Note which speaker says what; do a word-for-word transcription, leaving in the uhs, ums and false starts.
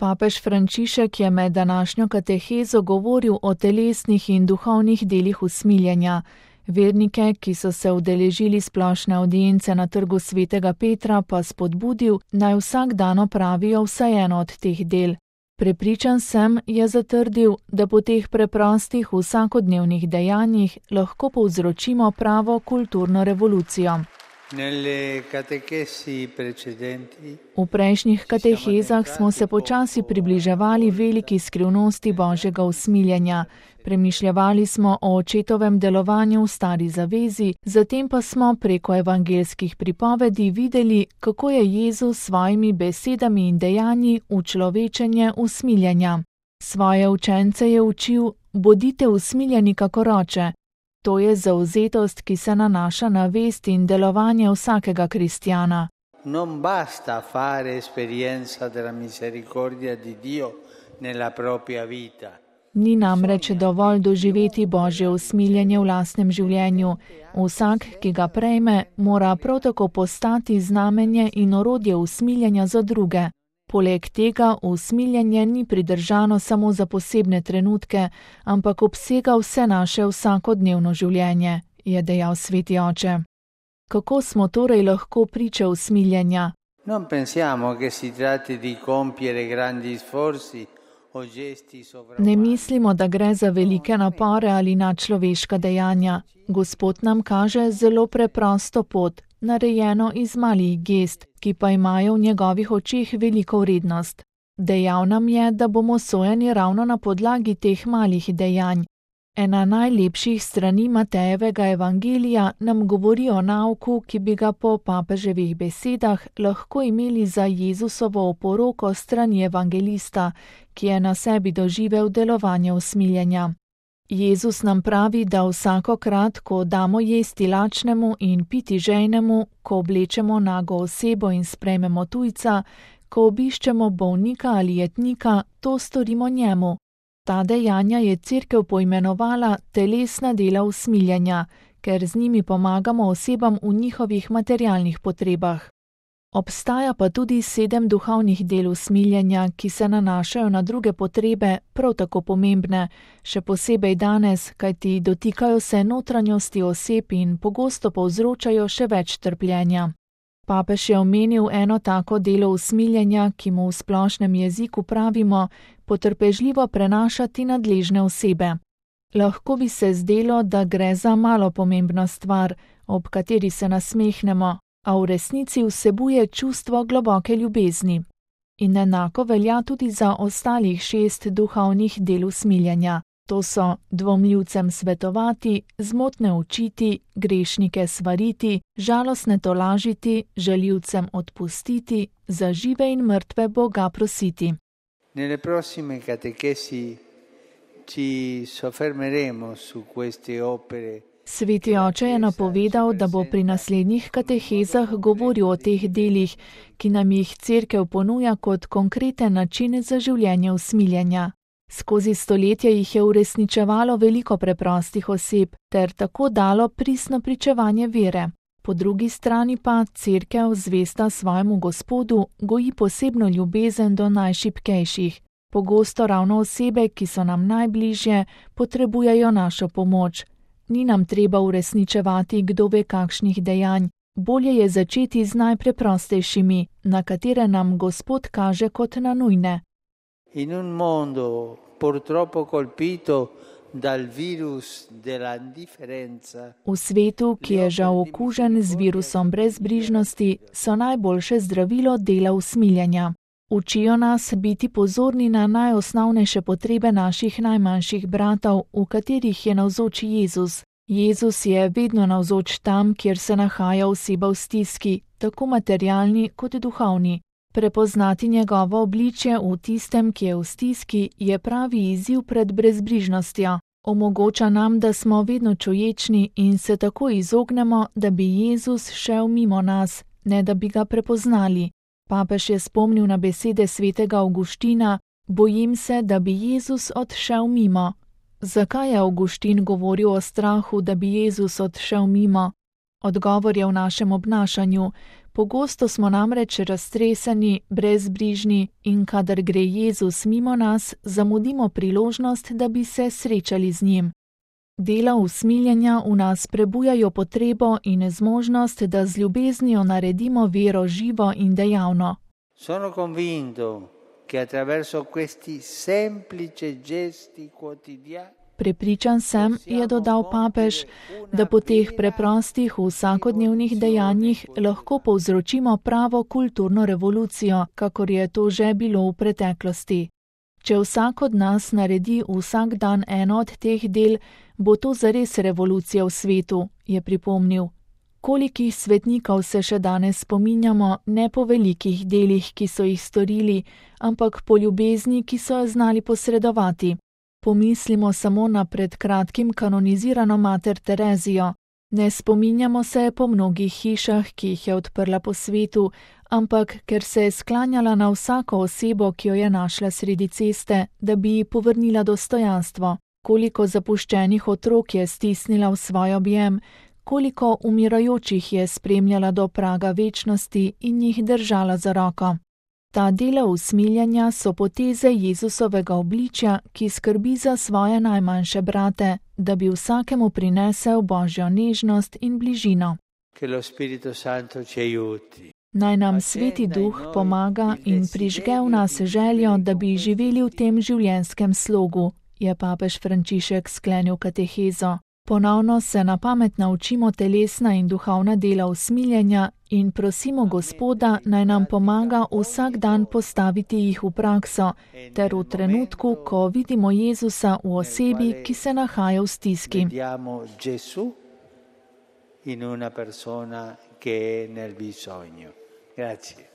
Speaker 1: Papež Frančišek je med današnjo katehezo govoril o telesnih in duhovnih delih usmiljenja. Vernike, ki so se udeležili splošne avdience na trgu svetega Petra, pa spodbudil, naj vsak dan opravijo vsaj eno od teh del. Prepričan sem, je zatrdil, da po teh preprostih vsakodnevnih dejanjih lahko povzročimo pravo kulturno revolucijo. V prejšnjih katehezah smo se počasi približevali veliki skrivnosti Božjega usmiljenja. Premišljevali smo o očetovem delovanju v stari zavezi, zatem pa smo preko evangelskih pripovedi videli, kako je Jezus s svojimi besedami in dejanji učlovečenje usmiljenja. Svoje učence je učil: bodite usmiljeni kakor oče. To je zavzetost, ki se nanaša na vest in delovanje vsakega kristjana.
Speaker 2: Non basta fare esperienza della misericordia di Dio nella propria vita.
Speaker 1: Ni namreč dovolj doživeti Božje usmiljenje v lastnem življenju. Vsak, ki ga prejme, mora prav tako postati znamenje in orodje usmiljenja za druge. Poleg tega usmiljenje ni pridržano samo za posebne trenutke, ampak obsega vse naše vsakodnevno življenje, je dejal sveti oče. Kako smo torej lahko priče usmiljenja?
Speaker 2: Non pensiamo che si tratti di compiere grandi sforzi.
Speaker 1: Ne mislimo, da gre za velike napore ali nadčloveška dejanja. Gospod nam kaže zelo preprosto pot, narejeno iz malih gest, ki pa imajo v njegovih očeh veliko vrednost. Dejal nam je, da bomo sojeni ravno na podlagi teh malih dejanj. Ena najlepših strani Matejevega evangelija nam govori o nauku, ki bi ga po papeževih besedah lahko imeli za Jezusovo oporoko strani evangelista, ki je na sebi doživel delovanje usmiljenja. Jezus nam pravi, da vsakokrat, ko damo jesti lačnemu in piti žejnemu, ko oblečemo nago osebo in sprejmemo tujca, ko obiščemo bolnika ali jetnika, to storimo njemu. Ta dejanja je Cerkev poimenovala telesna dela usmiljenja, ker z njimi pomagamo osebam v njihovih materialnih potrebah. Obstaja pa tudi sedem duhovnih del usmiljenja, ki se nanašajo na druge potrebe, prav tako pomembne, še posebej danes, kajti dotikajo se notranjosti oseb in pogosto povzročajo še več trpljenja. Papež je omenil eno tako delo usmiljenja, ki mu v splošnem jeziku pravimo potrpežljivo prenašati nadležne osebe. Lahko bi se zdelo, da gre za malo pomembno stvar, ob kateri se nasmehnemo, a v resnici vsebuje čustvo globoke ljubezni. In enako velja tudi za ostalih šest duhovnih del usmiljenja. To so dvomljivcem svetovati, zmotne učiti, grešnike svariti, žalostne tolažiti, žaljivcem odpustiti, za žive in mrtve Boga prositi.
Speaker 2: Nelle prossime catechesi ci soffermeremo su queste opere.
Speaker 1: Sveti oče je napovedal, da bo pri naslednjih katehezah govoril o teh delih, ki nam jih Cerkev ponuja kot konkreten način za življenje usmiljenja. Skozi stoletja jih je uresničevalo veliko preprostih oseb ter tako dalo pristno pričevanje vere. Po drugi strani pa Cerkev, zvesta svojemu Gospodu, goji posebno ljubezen do najšibkejših. Pogosto ravno osebe, ki so nam najbližje, potrebujejo našo pomoč. Ni nam treba uresničevati kdo ve kakšnih dejanj. Bolje je začeti z najpreprostejšimi, na katere nam Gospod kaže kot na nujne.
Speaker 2: In un mondo purtroppo colpito dal virus della indifferenza.
Speaker 1: V svetu, ki je žal okužen z virusom brezbrižnosti, so najboljše zdravilo dela usmiljenja. Učijo nas biti pozorni na najosnovnejše potrebe naših najmanjših bratov, v katerih je navzoč Jezus. Jezus je vedno navzoč tam, kjer se nahaja oseba v stiski, tako materialni kot duhovni. Prepoznati njegovo obličje v tistem, ki je v stiski, je pravi izziv pred brezbrižnostjo. Omogoča nam, da smo vedno čuječni in se tako izognemo, da bi Jezus šel mimo nas, ne da bi ga prepoznali. Papež je spomnil na besede svetega Avguština: bojim se, da bi Jezus odšel mimo. Zakaj je Avguštin govoril o strahu, da bi Jezus odšel mimo? Odgovor je v našem obnašanju. Pogosto smo namreč raztreseni, brezbrižni in kadar gre Jezus mimo nas, zamudimo priložnost, da bi se srečali z njim. Dela usmiljenja v nas prebujajo potrebo in zmožnost, da z ljubeznijo naredimo vero živo in dejavno.
Speaker 2: Sono convinto che attraverso questi semplici gesti quotidiani
Speaker 1: Prepričan sem, je dodal papež, da po teh preprostih vsakodnevnih dejanjih lahko povzročimo pravo kulturno revolucijo, kakor je to že bilo v preteklosti. Če vsak od nas naredi vsak dan eno od teh del, bo to zares revolucija v svetu, je pripomnil. Kolikih svetnikov se še danes spominjamo, ne po velikih delih, ki so jih storili, ampak po ljubezni, ki so jo znali posredovati. Pomislimo samo na pred kratkim kanonizirano mater Terezijo. Ne spominjamo se po mnogih hišah, ki jih je odprla po svetu, ampak ker se je sklanjala na vsako osebo, ki jo je našla sredi ceste, da bi ji povrnila dostojanstvo. Koliko zapuščenih otrok je stisnila v svoj objem, koliko umirajočih je spremljala do praga večnosti in jih držala za roko. Ta dela usmiljanja so poteze Jezusovega obličja, ki skrbi za svoje najmanjše brate, da bi vsakemu prinesel Božjo nežnost in bližino. Naj nam Sveti Duh pomaga in prižge v nas željo, da bi živeli v tem življenjskem slogu, je papež Frančišek sklenil katehezo. Ponovno se na pamet naučimo telesna in duhovna dela usmiljenja in prosimo Gospoda, naj nam pomaga vsak dan postaviti jih v prakso, ter v trenutku, ko vidimo Jezusa v osebi, ki se nahaja v stiski.
Speaker 2: In una persona che è nel bisogno. Grazie.